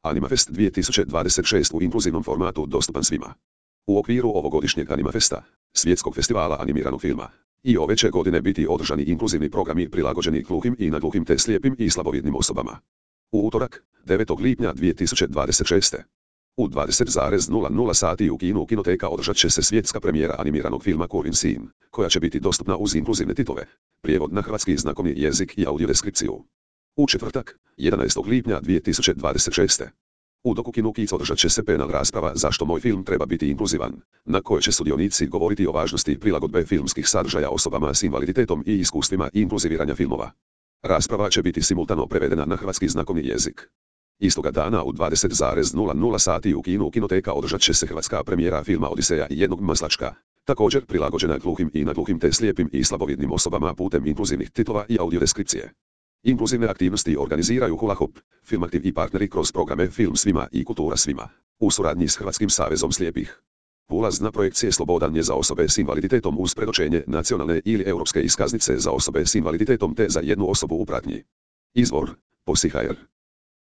Animafest 2026 u inkluzivnom formatu dostupan svima. U okviru ovogodišnjeg Animafesta, svjetskog festivala animiranog filma, i ove će godine biti održani inkluzivni programi prilagođeni gluhim i nagluhim te slijepim i slabovidnim osobama. U utorak, 9. lipnja 2026. u 20:00 sati u Kinoteka održat će se svjetska premijera animiranog filma Kurvin sin, koja će biti dostupna uz inkluzivne titove, prijevod na hrvatski znakovni jezik i audiodeskripciju. U četvrtak, 11. lipnja 2026. u Dokukinu Kids održat će se panel rasprava Zašto moj film treba biti inkluzivan, na kojoj će sudionici govoriti o važnosti prilagodbe filmskih sadržaja osobama s invaliditetom i iskustvima inkluziviranja filmova. Rasprava će biti simultano prevedena na hrvatski znakovni jezik. Istoga dana u 20:00 sati u Kinoteka održat će se hrvatska premijera filma Odiseja i jednog maslačka, također prilagođena gluhim i nagluhim te slijepim i slabovidnim osobama putem inkluzivnih titova i audiodeskripcije. Inkluzivne aktivnosti organiziraju Hula Hop, Filmaktiv i partneri kroz programe Film svima i Kultura svima, u suradnji s Hrvatskim savezom slijepih. Ulaz na projekcije slobodan je za osobe s invaliditetom uz predočenje nacionalne ili europske iskaznice za osobe s invaliditetom te za jednu osobu u pratnji. Izvor: Posi.hr